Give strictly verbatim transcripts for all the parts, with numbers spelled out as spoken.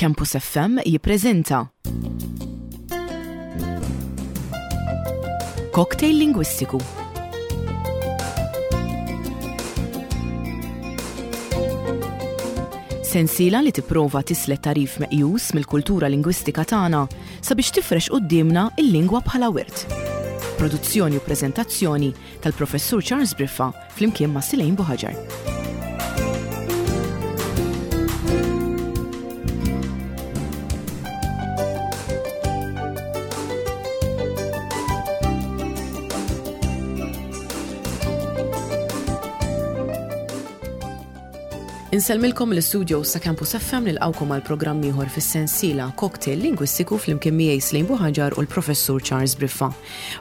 Campus F M jippreżenta Cocktail Lingwistiku. Sensiela li tipprova tislet tagħrif meqjus mill-kultura lingwistika tagħna sabiex tifrex quddiemna il-lingwa bħala wirt. Produzzjoni u preżentazzjoni tal-Professur Charles Briffa flimkien ma' Silejn Buħaġar. Insellmilkom l-studio sa' Campus F M, nilqgħukom għal programm ieħor fis-sensiela Cocktail Lingwistiku flimkien miegħi Slejn Buħaġar u l-Professur Charles Briffa.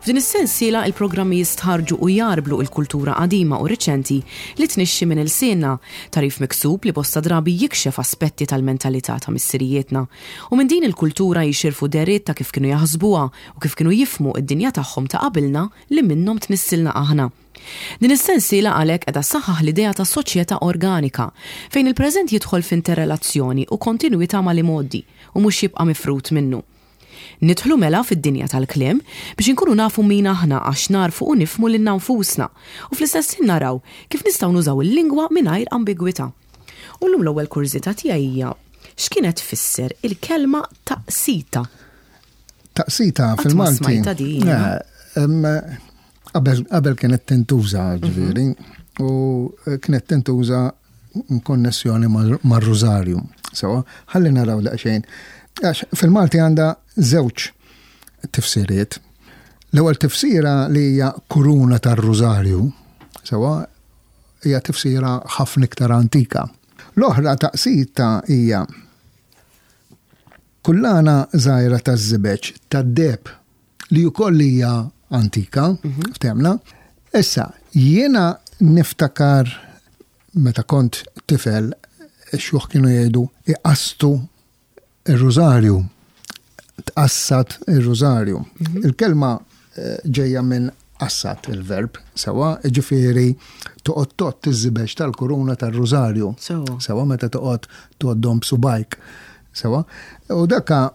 F'din is-sensiela il-programmi jistħarġu u jarblu il-kultura qadima u riċenti li tnixxi minn ilsienna, tagħrif miksub li bosta drabi jikxef aspetti tal-mentalità ta' missirijietna. U minn din il-kultura jixirfu deriet ta' kif kienu jaħsbuha u kif kienu jifhmu id-dinja tagħhom ta' qabilna li minnhom tnissilna aħna. Din is-sensiela għalhekk qiegħda ssaħħaħ l-idea ta' soċjetà organika fejn il-preżent jidħol f'interrelazzjoni u kontinwità mal-imgħoddi u mhux jibqa' mifrut minnu. Nidħlu mela fid-dinja tal-kliem biex inkunu nafu min aħna, għax narfu u nifhmu lilna nfusna u fl-istess ħin naraw kif nistgħu nużaw il-lingwa mingħajr ambigwità. U llum l-ewwel kurżità tiegħi hija: x'kienet tfisser il-kelma taqsita? Taqsita Qatt ma fil-Malti. smajta din. Eh, em, Qabel qabel kienet tintuża, ġifieri, u kienet tintuża konnessjoni mar-Rużarju. Sewa, ħalli naraw daqsxejn. Għax fil-Malti għandha żewġ tifsiriet. L-ewwel tifsira, li hija kuruna tar-Rużarju, sewa, hija tifsira ħafna iktar antika. L-oħra, taqsita hija kullana żgħira taż-żibeġ tad-deheb, li wkoll hija antika, ftemna. Issa, jiena niftakar meta kont tifel, xjuħ kienu jgħidu iqastu ir-rużarju, tqassat ir-rużarju. Il-kelma eh, ġejja minn qassat, il-verb, sewa, ġifieri toqgħod tgħodd iż-żibeġ tal-kuruna tar-rużarju. Sewa. Sewa, meta toqgħod tgħoddhom b'subgħajk. Sewa. U daka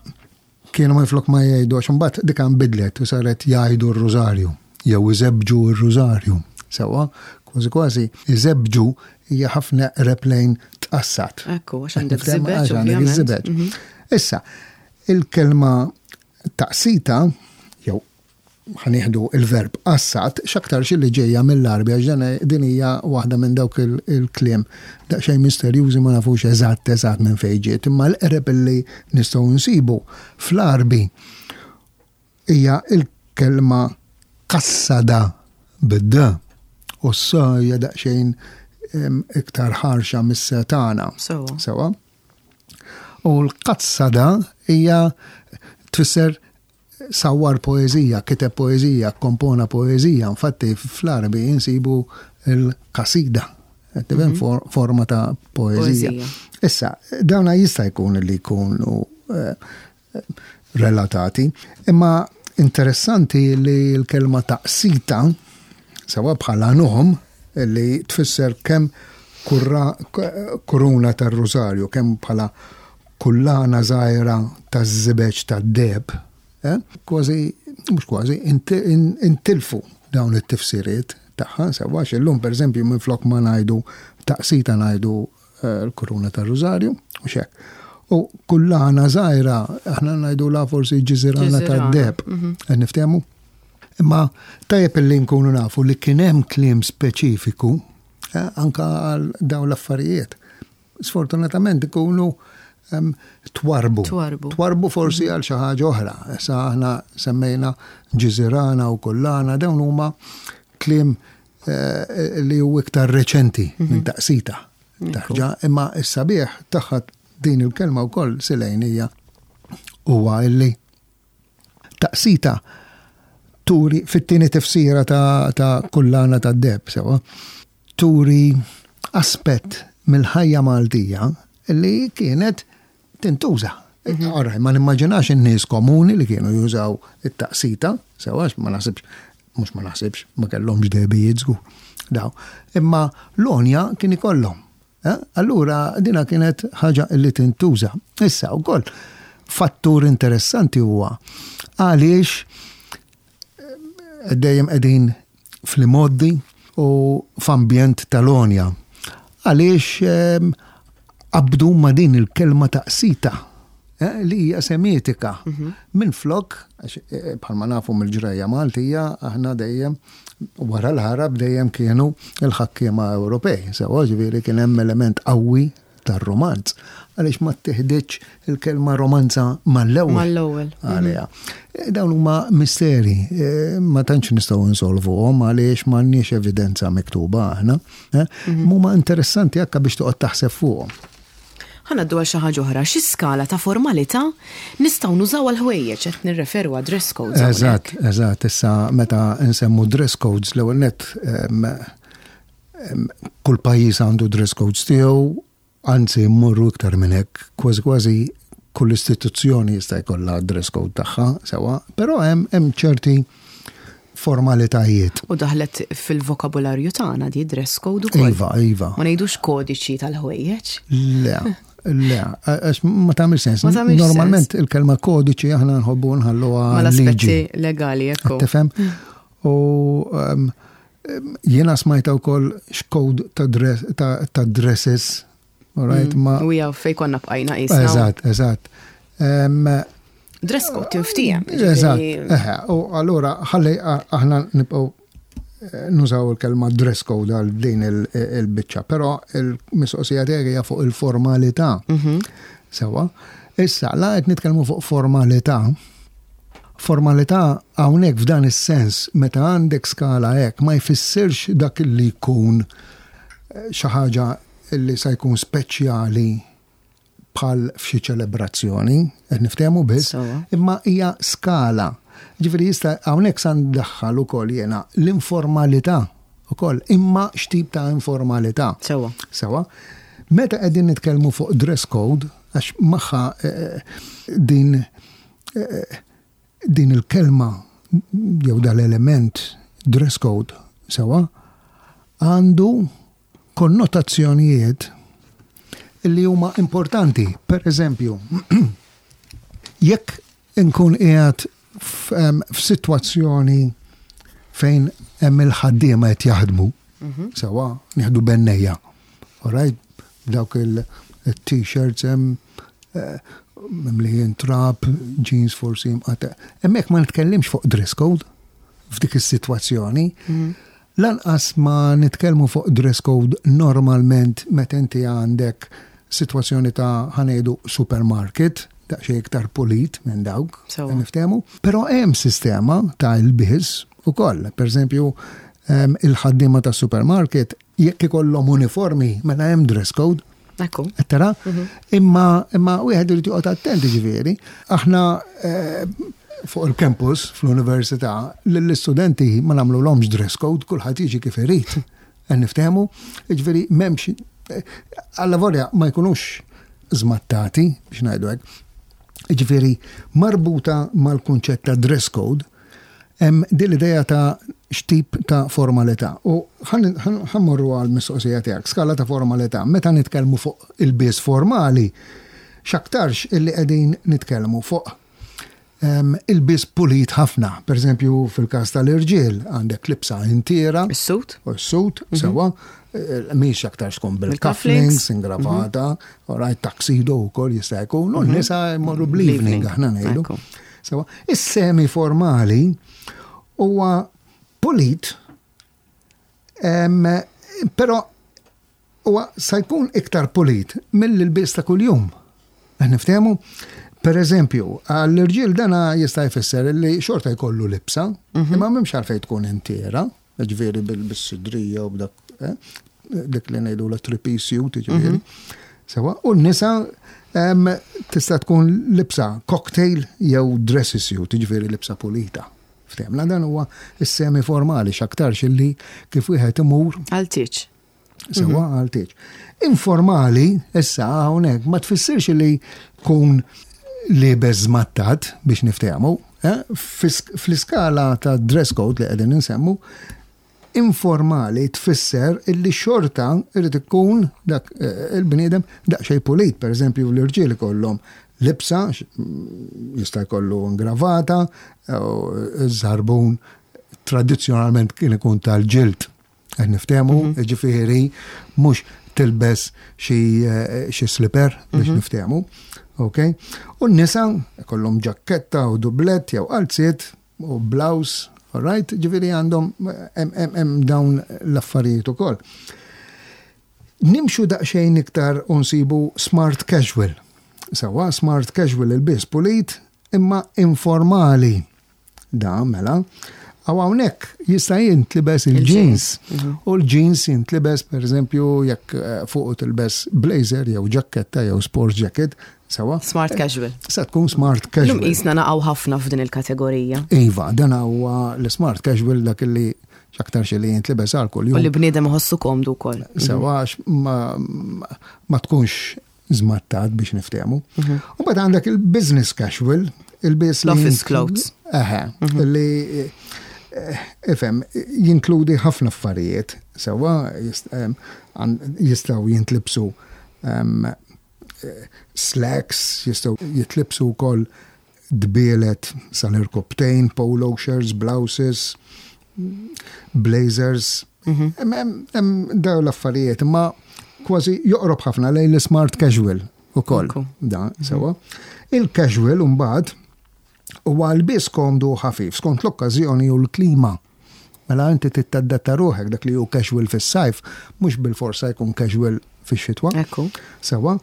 kienu minflok ma jgħidu, għax imbagħad dika nbidlet u saret jgħidu r-rużarju jew iżebbġu r-rużarju. Sewa, kważi kważi iżebbġu hija ħafna eqreb lejn tqassat. Ekku, għax għandek Tifhem? żibeġ, Għax għandek ovvjament. iż-żibeġ. Mhm. Issa, il-kelma taqsita, jew ħa nieħdu il-verb qassat, x'aktar li ġejja mill-Għarbi, għax dan- din hija waħda minn dawk il- il-kliem daqsxejn misterjużi, ma nafux eżatt eżatt minn fejn ġiet, imma l-eqreb li nistgħu nsibu fl-Għarbi hija il-kelma kassada bid-d u s hija daqsxejn em, iktar ħarxa mis-setana. Sewa. Sewa. U l-qassada hija tfisser sawar poezija, kiteb poezija, kompona poezija. Infatti fl-Għarbi insibu il-kasida. Tifhem, for, forma ta' poezija. Poezija. Issa, dawna jista' jkun li jkunu eh, relatati, imma interessanti li l-kelma taqsita, sewa, bħala nom, li tfisser kemm kurra, kuruna tar-rużarju, kemm bħala kullana żgħira taż-żibeġ tad-deheb, eh? Kważi, mhux kważi, inti- in- intilfu dawn it-tifsiriet tagħha, sewa, għax illum, pereżempju, minflok ma ngħidu taqsita ngħidu eh, l-kuruna tar-rużarju, u xek. U kullana żgħira, aħna ngħidu la forsi ġiżirana Ġiżirana, tad-deheb. Qed niftehmu? Imma tajjeb li nkunu nafu li kien hemm kliem speċifiku eh, anka għal dawn l-affarijiet. Sfortunatament ikunu em, twarbu. Twarbu. Twarbu forsi għal xi ħaġa oħra. Issa aħna semmejna ġiżirana u kullana, dawn huma kliem eh, li hu iktar reċenti minn taqsita. Taħġa, imma s-sabiħ tagħha din il-kelma wkoll, Silejn, hija huwa illi taqsita turi fit-tieni tifsira ta', ta kullana ta' deheb, sewa, turi aspett mill-ħajja Maltija li kienet tintuża. Ora, ma nimmaġinax in-nies komuni li kienu jużaw it-taqsita, sewa, għax ma naħsibx, mhux ma naħsibx, ma kellhomx dehbijiet żgur. Daw. Imma l-għonja kien ikollhom. Eh? Allura dina kienet ħaġa li tintuża. Issa wkoll fattur interessanti huwa għaliex eh, dejjem qegħdin fl-imgħoddi u f'ambjent tal-għonja. Għaliex ehm, qabdu ma' din il-kelma taqsita eh, li hija semitika. Mhm. Minn flok, eh, bħalma nafu mill-ġrajja Maltija, aħna dejjem wara l-Għarab dejjem kienu il-ħakkiema Ewropej. Sewa, ġifieri kien hemm element qawwi tar-romanz. Għaliex ma tieħditx il-kelma romanza mal-ewwel? Mal-ewwel. Għalija. Eh, dawn huma misteri, eh, ma tantx nistgħu nsolvuhom għaliex m'għandniex evidenza miktuba aħna. Eh? Mhm. Huma interessanti akka biex toqgħod taħseb fuqhom. Ħa ngħaddu għal xi ħaġa oħra, xi skala ta' formalità nistgħu nużaw għal ħwejjeġ? Qed nirreferu għad dress codes. Eżatt, eżatt, issa meta nsemmu dress codes, l-ewwel net kull pajjiż għandu dress codes tiegħu, anzi mmorru iktar minn hekk, kważi kważi kull istituzzjoni jista' jkollha dress code tagħha, sewa, però hemm hemm ċerti formalitajiet. U daħlet fil-vokabularju tagħna di dress code ukoll. Iva, iva. Ma ngħidux kodiċi tal-ħwejjeġ. Le, le, għax ma tagħmel sens. Normalment il-kelma kodiċi aħna nħobbu nħalluha mal-aspetti legali, ekku. Tifhem? U um, jiena smajta wkoll x'code ta' dresses. Right, mm, ma. U jaw fej konna bqajna jisna. Eżatt, eżatt. Dress code tinftiehem. Eżatt. U allura ħalli aħna nibqgħu eh, nużaw il-kelma dress code għal din il-biċċa, però il-mistoqsija tiegħi hija fuq il-formalità. Mhm. Sewa. Issa, la qed nitkellmu fuq formalità, formalità hawnhekk f'dan is-sens, meta għandek skala hekk, ma jfissirx dak li jkun eh, xi ħaġa li sa jkun speċjali bħal f'xi ċelebrazzjoni, qed niftehmu biss, imma hija skala. Ġifieri jista' hawnhekk sa ndaħħal ukoll jiena l-informalità ukoll, imma x'tip ta' informalità. Sewa. Sewa. Meta qegħdin nitkellmu fuq dress code, għax magħha eh, din eh, din il-kelma jew dal-element dress code, sewa, għandu konnotazzjonijiet li huma importanti. Per eżempju, jekk inkun qiegħed f'sitwazzjoni fejn hemm il-ħaddiema qed jaħdmu, mhm. sewa, nieħdu bennejja. Alright, dawk il-t-shirts hemm eh, mimlijin trab, jeans forsi mqata. Hemmhekk ma nitkellimx fuq dress code f'dik is-sitwazzjoni. Mhm. Lanqas ma nitkellmu fuq dress code normalment meta inti għandek sitwazzjoni ta', ħa ngħidu, supermarket, daqsxejn iktar pulit minn dawk, niftehmu. Però hemm sistema ta' ilbies ukoll. Per eżempju, il-ħaddiema ta' supermarket jekk ikollhom uniformi, mela hemm dress code. Ekku. Tara? Mhm. Imma imma wieħed irid joqgħod attenti, ġifieri. Aħna eh, fuq il-campus fl-università lill-istudenti ma nagħmluhomx dress code, kulħadd jiġi kif irid. Niftehmu, ġifieri m'hemmx, alla volja ma jkunux żmattati biex ngħidu hekk. Ġifieri marbuta mal-kunċett ta' dress code hemm din l-idea ta' x'tip ta' formalità. U ħa mmorru għal mistoqsija tiegħek, skala ta' formalità. Meta nitkellmu fuq ilbies formali, x'aktarx illi qegħdin nitkellmu fuq ilbies pulit ħafna. Per eżempju, fil-każ tal-irġiel għandek libsa intiera. Is-suit? U s-suit, mhm. sewa, eh, mhix aktar tkun bil-cufflinks, ingravata, mhm. right, tuxedo wkoll jista' jkun, u mhm. n-nisa jmorru bl-evening, aħna ngħidu. Sewa, is-semi formali huwa pulit, però huwa sa jkun iktar pulit mill-ilbies ta' kuljum. Niftehmu? Per eżempju, għall-irġiel dana jista' jfisser li xorta jkollu libsa, mhm. imma m'hemmx għalfejn tkun intiera, ġifieri bil-sidrija u b'dak, eh, dik li ngħidu la three-piece suit, ġifieri. Mhm. Sewa, u n-nisa tista' tkun libsa cocktail jew dressy suit, ġifieri libsa pulita. Ftehmna, dan huwa is-semi formali x'aktarx illi kif wieħed imur għal tieġ. Sewa, mhm. għal tieġ. Informali, issa hawnhekk ma tfissirx li kun liebes żmattat, biex niftehmu, eh? Fl-iskala ta' dress code li qegħdin insemmu, Informali tfisser illi xorta irid ikun dak eh, il-bniedem daqsxejn pulit, per eżempju l-irġiel ikollhom libsa, jista' jkollu ingravata, u żarbun tradizzjonalment kien ikun tal-ġild. Qed niftehmu, mhm. ġifieri mhux tilbes xi eh, slipper biex mhm. niftehmu. Ok? U n-nisa kollhom ġakketta u dublet jew qalziet u blouse, all right? Ġifieri għandhom hemm dawn l-affarijiet ukoll. Nimxu daqsxejn iktar u nsibu smart casual. Sawa, smart casual, ilbies pulit imma informali. Da, mela. Għaw hawnhekk jista' jintlibes il-jeans. Mhm. U l-jeans jintlibes, per eżempju, jekk eh, fuq tilbes blazer jew ġakketta jew sports jacket, sawa. Smart casual. Sa tkun smart casual. Lum jisna naqgħu ħafna f'din il-kategorija. Iva, dan huwa l-smart casual, dak li aktar xi li jintlibes għal kull U li bniedem iħossu komdu wkoll. Sawa, ma, ma tkunx żmattat biex niftehmu. Mhm. U mbagħad għandek il-business casual, il-bis Office clothes. Eħe, mhm. li eh, ifhem, jinkludi ħafna affarijiet, sewa jistgħu jintlibsu slacks, jistgħu jitlibsu wkoll dbielet sal-irkobtejn, polo shirts, blouses, blazers. Mhm. Hemm dawn l-affarijiet, imma kważi joqrob ħafna lejn l-smart casual ukoll. Da, sewa. Il-casual mbagħad huwa lbies komdu ħafif skont l-okkażjoni u l-klima. Mela inti tadatta ruħek, dak li hu casual fis-sajf mhux bil-forsa jkun casual fix-xitwa. Ekku. Sewa.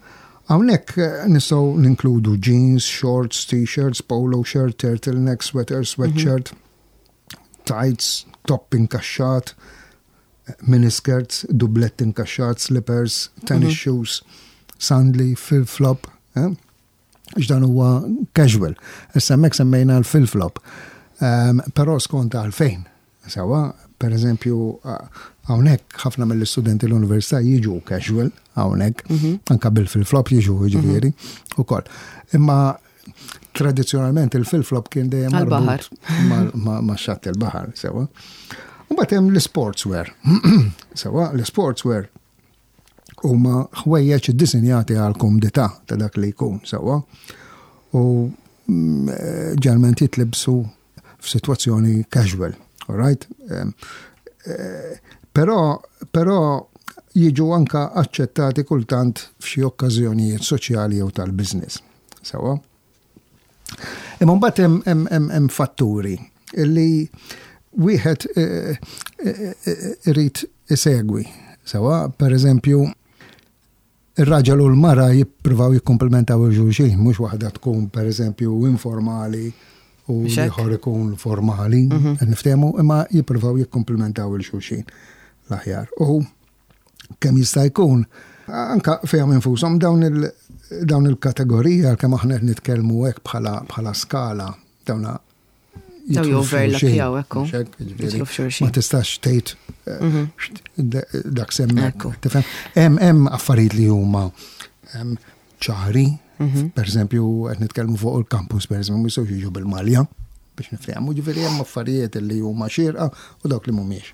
Hawnhekk eh, nistgħu ninkludu jeans, shorts, t-shirts, polo shirt, turtleneck, sweater, sweatshirt, mm -hmm. tights, top inkaxxat, miniskirts, dublett inkaxxat, slippers, tennis mm -hmm. shoes, sandali, flip-flop. Eh? X'dan huwa casual. Issa hemmhekk semmejna l-flip-flop. Um, però skont għalfejn. Sawa, per eżempju, hawnhekk ħafna mill-istudenti l-università jiġu casual hawnhekk, mm -hmm. anka bil-flip-flop jiġu, jiġifieri, mm -hmm. ukoll. Imma tradizzjonalment il-flip-flop kien dejjem marbut ma' xatt il-baħar, sewa. U mbagħad hemm l-sportswear. Sewa, l-sportswear huma ħwejjeġ iddisinjati għal komdità ta' dak li jkun, sewa. U mm, ġeneralment jitlibsu f'sitwazzjoni casual, all right? Eh, però, però jiġu anka aċċettati kultant f'xi okkażjonijiet soċjali jew tal-business. Sewa. Imma mbagħad hemm fatturi illi wieħed eh, eh, irid isegwi. Sewa, per eżempju, ir-raġel u l-mara jippruvaw jikkomplementaw il-xulxin, mhux waħda tkun per eżempju informali u ieħor ikun formali, mhm. niftehmu, imma jippruvaw jikkomplementaw il-xulxin l-aħjar. U kemm jista' jkun, anka fejn infushom dawn il dawn il-kategorija, kemm aħna qed nitkellmu hekk bħala bħala skala, dawna Daw joverlapjaw, ekku. Ma tistax tgħid eh, mhm. dak semmek. Tifhem? Hemm hemm affarijiet li huma ċari, mhm. per eżempju qed nitkellmu fuq il-campus, per eżempju, ma jistgħux jiġu bil-malja biex niftehmu, ġifieri hemm affarijiet li huma xierqa u dawk li mhumiex.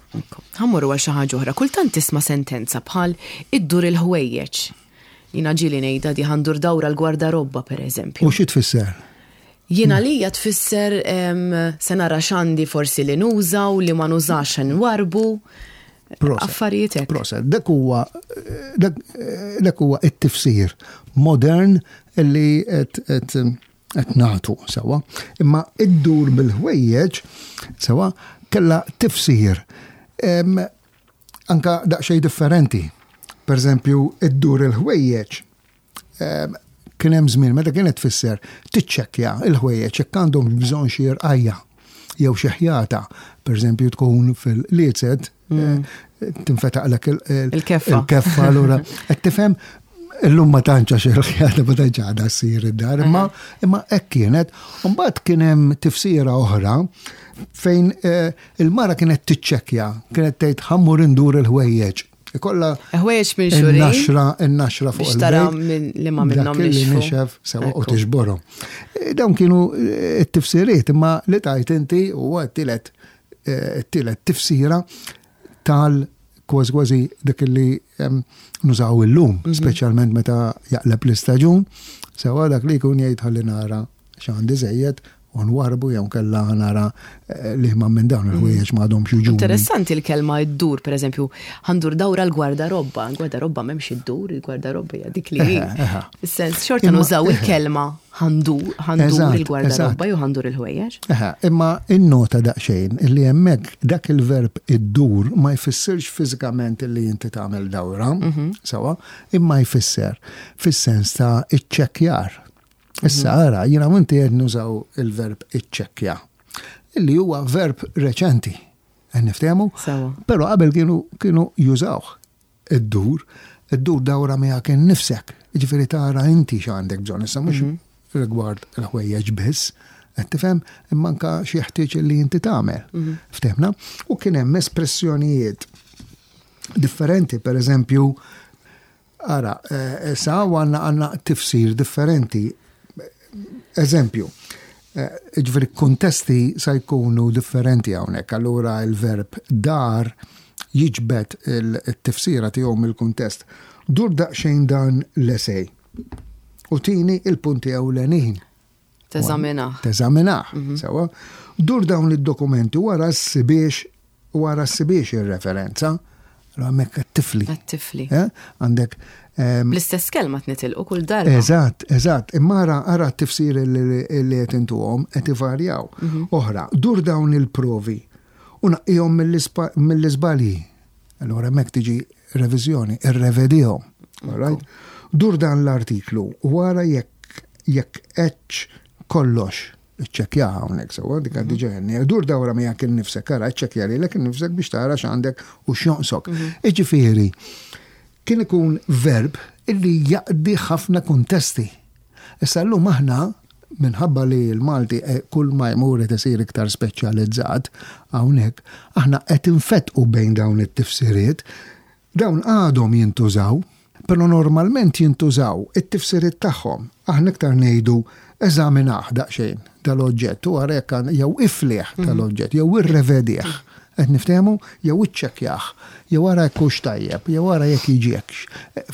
Ħa mmorru għal xi ħaġa oħra. Kultant tisma' sentenza bħal iddur il-ħwejjeġ. Jiena ġieli ngħidha di, ħa ndur dawra l-gwardarobba, per eżempju. U xi tfisser? Jiena lija tfisser se nara x'għandi forsi li nuża u li ma nużax nwarbu. Affarijiet hekk. Proset, dak huwa dak huwa it-tifsir modern li qed qed nagħtu sewa. Imma iddur bil-ħwejjeġ sewa kella tifsir anka daqsxejn differenti. Per eżempju, iddur il-ħwejjeġ kien hemm żmien meta kienet tfisser tiċċekkja il-ħwejjeġ jekk għandhom bżonn xi rqajja jew xi ħjata. Per eżempju, tkun fil-liezet mm. eh, tinfetaqlek il-keffa. Il-keffa allura qed tifhem, illum ma tantx, għax il-ħjata ma tantx għadha ssir id-dar, imma imma hekk kienet. Mbagħad kien hemm tifsira oħra fejn eh, il-mara kienet tiċċekkja, kienet tgħid ħa mmur indur il-ħwejjeġ. Ikolla Ħwejjeġ minn xurin. Il-naxra, il-naxra fuq Biex tara minn li ma minnhom dak li nixfu. nixef sewa u Ekku. tiġborhom. E, Dawn kienu eh, t-tifsiriet, imma li tajt inti huwa t-tielet eh, t-tielet tifsira. tal kważi kważi dak li nużaw illum, mhm. speċjalment meta jaqleb l-istaġun, sewa dak li jkun jgħid ħalli nara x'għandi żejjed u nwarbu jew kella nara eh, li ma minn dawn il-ħwejjeġ ma għadhomx jiġu. Interessanti l-kelma iddur, per eżempju, ħa ndur dawra l-gwardarobba, l-gwardarobba m'hemmx iddur, il-gwardarobba hija dik li. Sens xorta nużaw il-kelma ħa ndur, ħa ndur il-gwardarobba jew ħa ndur il-ħwejjeġ. Imma innota daqsxejn illi hemmhekk dak il-verb iddur ma jfissirx fiżikament illi inti tagħmel dawra, mhm. sewa, imma jfisser fis-sens ta' iċċekkjar. Issa ara, jiena inti qed nużaw il-verb iċċekkja, illi huwa verb reċenti. Qed niftehmu? Però qabel kienu kienu jużawh iddur, iddur dawra miegħek innifsek. Ġifieri tara inti x'għandek bżonn, issa mhux mhm. rigward il-ħwejjeġ biss, qed tifhem, imma anka xi jeħtieġ li inti tagħmel. Mhm. Ftehmna? U kien hemm espressjonijiet differenti, per eżempju, ara, eh, sa għandna għandna tifsir differenti. Eżempju, eh, ġifieri kontesti sa jkunu differenti hawnhekk, allura il-verb dar jiġbed il-tifsira tiegħu mill-kuntest. Dur daqsxejn dan l-esej. U tini il-punti ewlenin. Teżaminaħ. Teżaminaħ, mhm. sewa. Dur dawn id-dokumenti wara s-sibiex wara s-sibiex ir-referenza. Hemmhekk tifli. Tifli. Eh? Għandek. L-istess kelma tnitilqu kull darba. Eżatt, eżatt. Imma ara ara t-tifsir li qed intuhom qed ivarjaw. Mhm. Oħra, dur dawn il-provi u naqqihom mill-iżbalji. Allura hemmhekk tiġi reviżjoni, irrevedihom. All Dur dan l-artiklu wara jekk jekk eċ kollox iċċekkja hawnhekk sewwa dik għaddi mhm. ġenni. Dur dawra miegħek innifsek, ara iċċekkja lilek innifsek biex tara x'għandek u x'jonqsok. Mhm. Iġifieri, kien ikun verb illi jaqdi ħafna kuntesti. Issa llum aħna minħabba li l-Malti eh, kull ma jmur qed isir iktar speċjalizzat hawnhekk, aħna qed infetqu bejn dawn it-tifsiriet, dawn għadhom jintużaw, però normalment jintużaw it-tifsiriet tagħhom. Aħna iktar ngħidu eżaminaħ daqsxejn dal-oġġett u ara jekk jew ifliħ mhm. tal-oġġett jew irrevedih. Qed niftehmu jew iċċekkjah, jew ara jekk hux tajjeb, jew ara jekk jiġekx.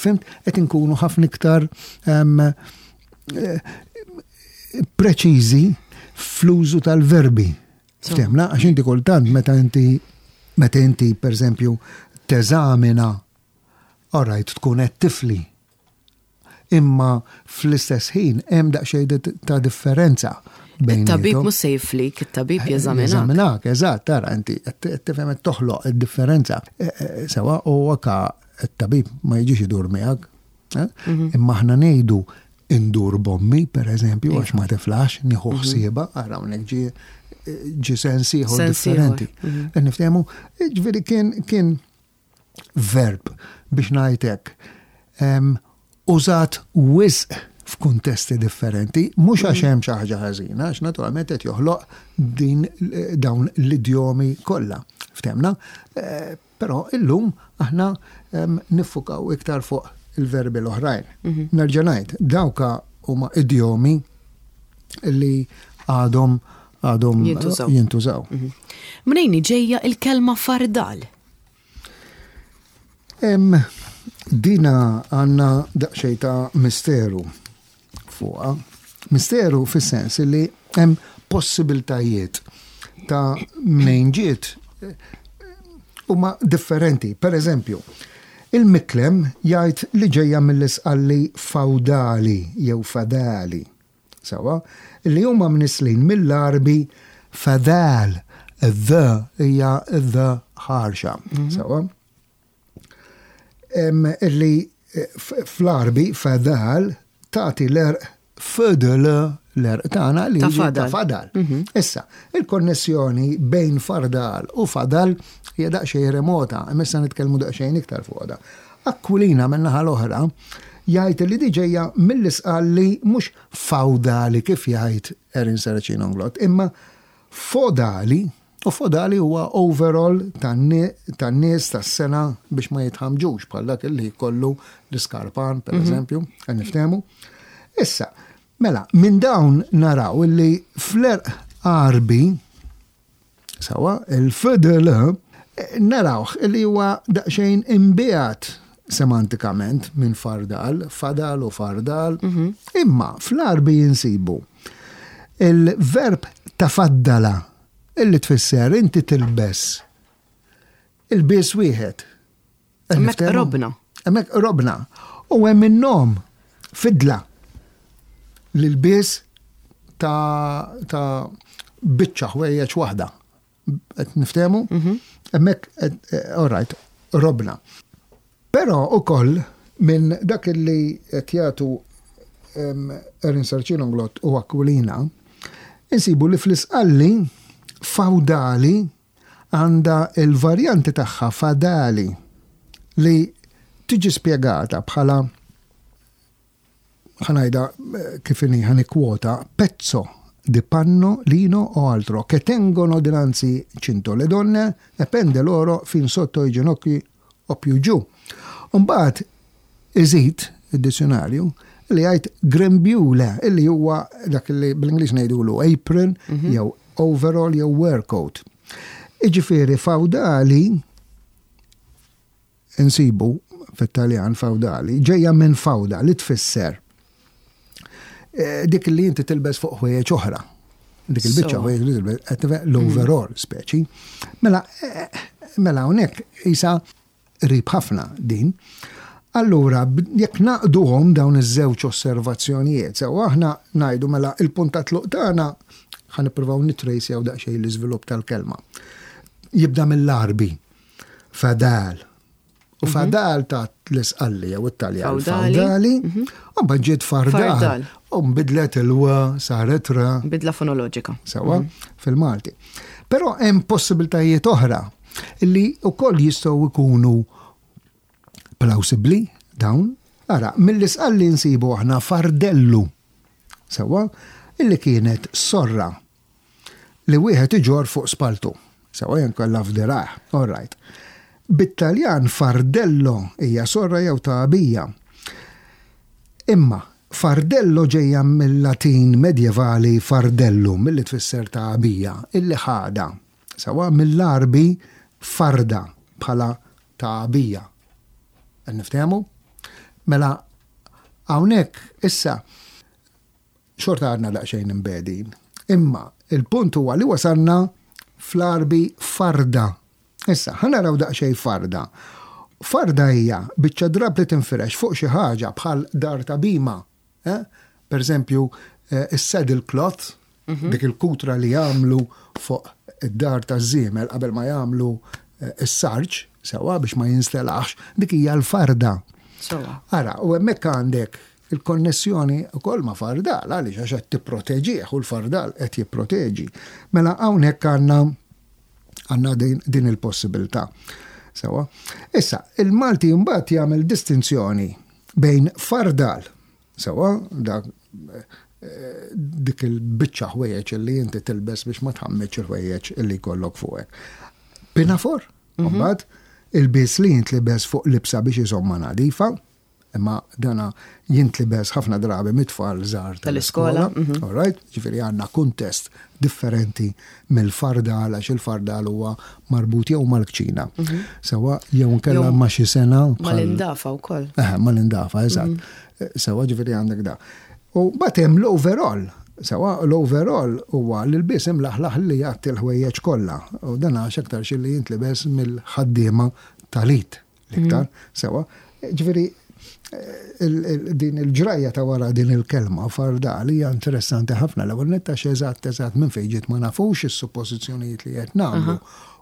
Fhimt, qed inkunu ħafna iktar eh, preċiżi fl-użu tal-verbi. Ftehmna, għax inti kultant meta inti meta inti per eżempju teżamina, alright, tkun qed tifli. Imma fl-istess ħin hemm daqsxejn ta' differenza. Il-tabib mhux se jiflik, it-tabib jeżaminak. Jeżaminak, eżatt, tara inti qed tifhem qed toħloq id-differenza. E, e, sewa u anka t-tabib ma jiġix idur miegħek. Eh? Mhm. Imma aħna ngħidu indur bommi, per eżempju, għax ma tiflax, nieħu mhm. ħsieba, ara hawnhekk ġi ġi sens ieħor differenti. Mhm. Niftehmu, ġifieri kien kien verb biex ngħidlek użat wisq f'kuntesti differenti, mhux għax hemm xi ħaġa ħażina, għax naturalment qed joħloq din dawn l-idjomi kollha. Ftehmna? Eh, però illum aħna niffukaw iktar fuq il-verbi l-oħrajn. Mhm. Nerġa' ngħid, dawka huma idjomi li għadhom għadhom jintużaw. Mhm. Mnejn ġejja il-kelma fardal? Em, dina għandna daqsxejn ta' misteru fuqha. Misteru fis-sens li hemm possibiltajiet ta' mnejn ġiet huma differenti. Per eżempju, il-Miklem jgħid li ġejja mill-Isqalli fawdali jew fadali. Sewa, li huma mnislin mill-Arbi fadal, the hija the ħarxa. Mhm. Sewa. Illi eh, fl-Arbi fadal tagħti l-erq fadal l-erq tagħna li ta' fadal. Mhm. Issa, il-konnessjoni bejn fardal u fadal hija daqsxejn remota, imma issa nitkellmu daqsxejn iktar fuq da. Aquilina min-naħa l-oħra jgħid li di ġejja mill-Isqalli mhux fawdali kif jgħid Erin Saracino Inglott, imma fodali, u fodali huwa overall tan-nies tas-sena biex ma jitħamġux bħal dak li jkollu l-iskarpan, per mhm. eżempju, qed niftehmu. Issa, mela, minn dawn naraw illi fl-erq Għarbi, sawa, il-fdl Narawh li huwa daqsxejn imbiegħed semantikament minn fardal, fadal u fardal, mhm. imma fl-Għarbi jinsibu il-verb tafaddala, illi tfisser inti tilbes ilbies wieħed. Hemmhekk robna. Hemmhekk robna. U hemm in-nom fidla, l-ilbies ta' ta' biċċa ħwejjeġ waħda. Qed niftehmu? Mhm. Hemmhekk, all right, robna. Però ukoll minn dak li qed jagħtu Erin Sarcino Englott u Aquilina, insibu li fl-Isqalli fawdali għandha il-varjanti tagħha fadali, li tiġi spjegata bħala, ħa ngħidha kif inhi, ħa nikkwota, "pezzo di panno, lino o altro che tengono dinanzi cinto le donne e pende loro fin sotto i ginocchi o più giù". Umbagħad iżid id-dizzjonarju li jgħid grembiule, illi huwa dak li bl-Ingliż ngħidulu apron mhm. jew overall jew workoat. Iġifieri fawdali insibu fit-Taljan fawdali ġejja minn fawda, li tfisser eh, dik li inti tilbes fuq ħwejjeġ oħra. Dik il-biċċa ħwejjeġ li tilbes, l-overall speċi. Mela, eh, mela hawnhekk isa qrib ħafna din. Allura, jekk nagħqduhom dawn iż-żewġ osservazzjonijiet, sew aħna ngħidu mela il-punt ta' tluq tagħna, ħa nippruvaw nitrejsjaw daqsxejn l-iżvilupp tal-kelma. Jibda mill-Għarbi, fadal. U mhm. fadal ta' l-Isqalli jew it-Taljan. Fawdali. Mhm. U ġiet fardal. U nbidlet il-wa, saret ra. Bidla fonoloġika. Sewa, mhm. fil-Malti. Però hemm possibiltajiet oħra li wkoll jistgħu jkunu plawsibbli dawn. Ara, mill-Isqalli nsibu aħna fardellu. Sewa, illi kienet sorra li wieħed iġor fuq spaltu. Sewa, jew inkella f'dirgħajh. All right. Bit-Taljan fardello hija sorra jew tagħbija. Imma fardello ġejja mill-Latin medjevali fardellum, milli tfisser tagħbija, illi ħada. Sewa, mill-Għarbi farda bħala tagħbija. Niftehmu? Mela, hawnhekk issa xorta għadna daqsxejn imbegħdin. Imma il-punt huwa li wasalna fl-Għarbi farda. Issa, ħa naraw daqsxejn farda. Farda hija biċċa drab li tinfirex fuq xi ħaġa bħal dar ta' bhima. Eh? Per eżempju, eh, is-saddle cloth, mhm. dik il-kutra li jagħmlu fuq id-dar ta' żiemel qabel ma jagħmlu eh, is-sarġ, sewa, biex ma jinstelax, dik hija l-farda. Ara, u hemmhekk għandek il-konnessjoni ukoll ma' fardal, għaliex? Għax qed tipproteġih u l-fardal qed jipproteġi. Mela hawnhekk għandna għandna din, din il-possibilità. Sewa. Issa, il-Malti mbagħad jagħmel distinzjoni bejn fardal, sewa, dak eh, dik il-biċċa ħwejjeġ li inti tilbes biex ma tħammeċ il-ħwejjeġ illi jkollok fuqek. Pinafor, mhm. mbagħad ilbies li jintlibes fuq libsa biex iżomma nadifa, imma dana jintlibes ħafna drabi mit-tfal żgħar tal-iskola. Mhm. All right, ġifieri għandna kuntest differenti mill-fardal, għax il-fardal huwa marbut jew mal-kċina. Mhm. Sewa, jew nkella ma' xi sena. Mal-indafa wkoll. Eh, mal-indafa, eżatt. Mhm. Sewa, ġifieri għandek da. U mbagħad hemm l-overall. Sewa, l-overall huwa l-ilbies imlaħlaħ li jgħatti l-ħwejjeġ kollha. U dan għax aktar xi li jintlibes mill-ħaddiema tal-id l-iktar. Sewa, ġifieri din il-ġrajja ta' wara din il-kelma fardal hija interessanti ħafna. L-ewwel netta, eżatt eżatt minn fejn ġiet ma nafux, is-suppożizzjonijiet li qed nagħmlu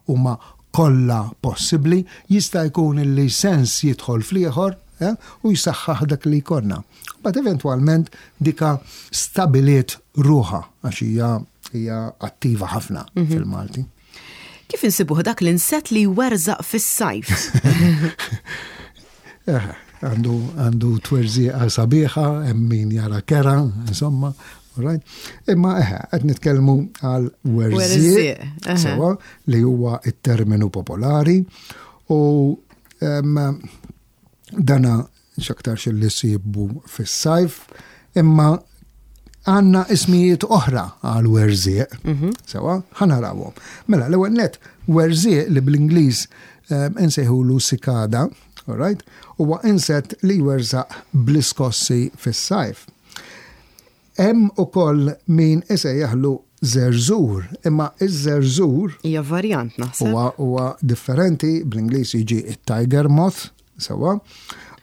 huma kollha possibbli, jista' jkun li sens jidħol fl-ieħor eh, u jsaħħaħ dak li jkollna. But eventwalment dika stabiliet ruħha għax hija hija attiva ħafna mhm. fil-Malti. Kif insibuh dak l-inset li jwerżaq fis-sajf? Eh, għandu għandu twerżiqa sabiħa, hemm min jara kera, insomma, right? Imma eħe, qed nitkellmu għal werżiq, sewa, li huwa it-terminu popolari u dana x'aktarx li ssibu fis-sajf, imma Għandna ismijiet oħra għal werżieq, sewwa, ħa narawhom. Mela, l-ewwel net, werżieq li bl-Ingliż insejħulu cicada, all right, huwa insett li jwerżaq bl-iskossi fis-sajf. Hemm ukoll min isejjaħlu żerżur, imma iż-żerżur Hija varjant, naħseb. huwa huwa differenti. Bl-Ingliż jiġi it-tiger moth, sewwa,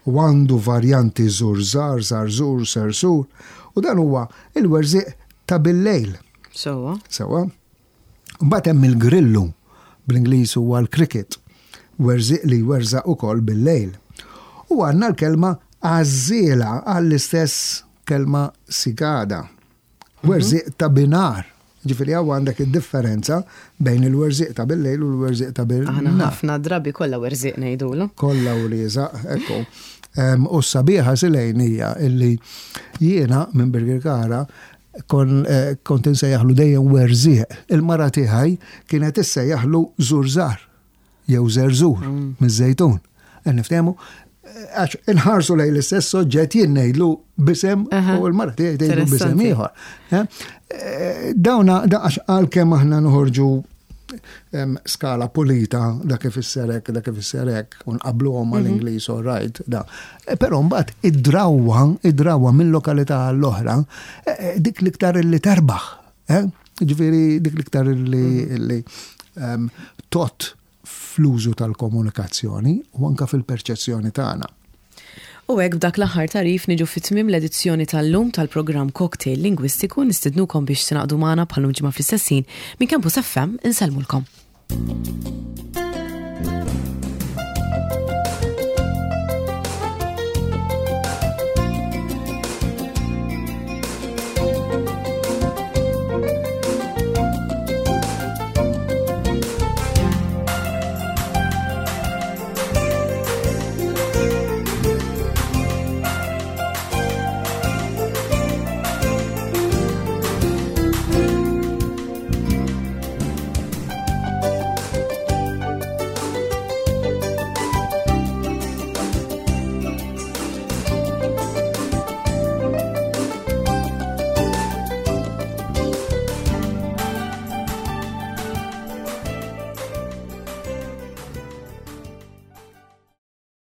u għandu varjanti żurżar, żarżur, sersur, u dan huwa il-werżieq ta' bil-lejl, Sewwa. sewwa. Mbagħad hemm il-grillu, bl-Ingliż huwa l-cricket, werżieq li jwerżaq ukoll bil-lejl. U għandna l-kelma għażiela għall-istess kelma cicada. Werżieq ta' binhar. Ġifieri hawn għandek id-differenza bejn il-werżieq ta' bil-lejl u l-werżieq ta' Aħna bil-nhar. ħafna drabi kollha werżieq ngħidulu. Kollha u liżaq, ekku. Em, U s-sabiħa, Silejn, hija illi jiena minn Birkirkara kon, eh, kont insejjaħlu dejjem werżieq. Il-mara tiegħi kienet issejjaħlu żurżar jew żerżur miż-Żejtun. E niftehmu, għax inħarsu lejn l-istess soġġett, jien ngħidlu b'isem Aha. u l-mara tiegħi tgħidlu b'isem Interessanti. ieħor. Eh? Eh, Dawna, da għax għalkemm aħna noħorġu em, skala pulita, dak ifisser hekk, dak ifisser hekk, u nqabluhom mal-Ingliż, all right, da. Eh, Però mbagħad id-drawwa, id-drawwa minn lokalità għall-oħra, eh, eh, dik l-iktar li terbaħ. Eh? Ġifieri dik l-iktar li, li em, tot fl-użu tal-komunikazzjoni u anka fil-perċezzjoni tagħna. U hekk, b'dak l-aħħar tagħrif, niġu fi tmiem l-edizzjoni tal-lum tal-programm Cocktail Lingwistiku. Nistednukom biex tingħaqdu magħna bħal ġimgħa fl-istess ħin minn Campus F M. Insellmulkom.